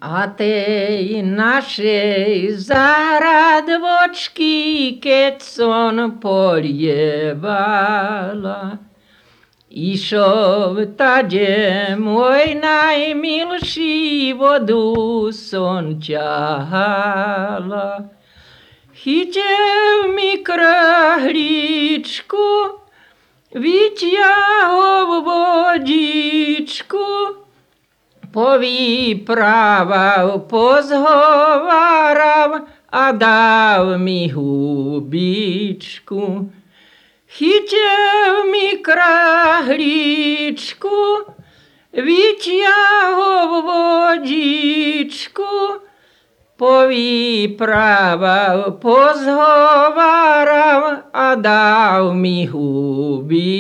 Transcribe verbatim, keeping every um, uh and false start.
A tej naszej zaradvočky, keď som polievala, išov tade môj najmilší, vodu som ťahala. Chytil mi krahličku, vyťahol vodičku, povyprával, pozhováral a dal mi hubičku. Chytil mi krahličku, vyťahol vodičku, povyprával, pozhováral a dal mi hubičku.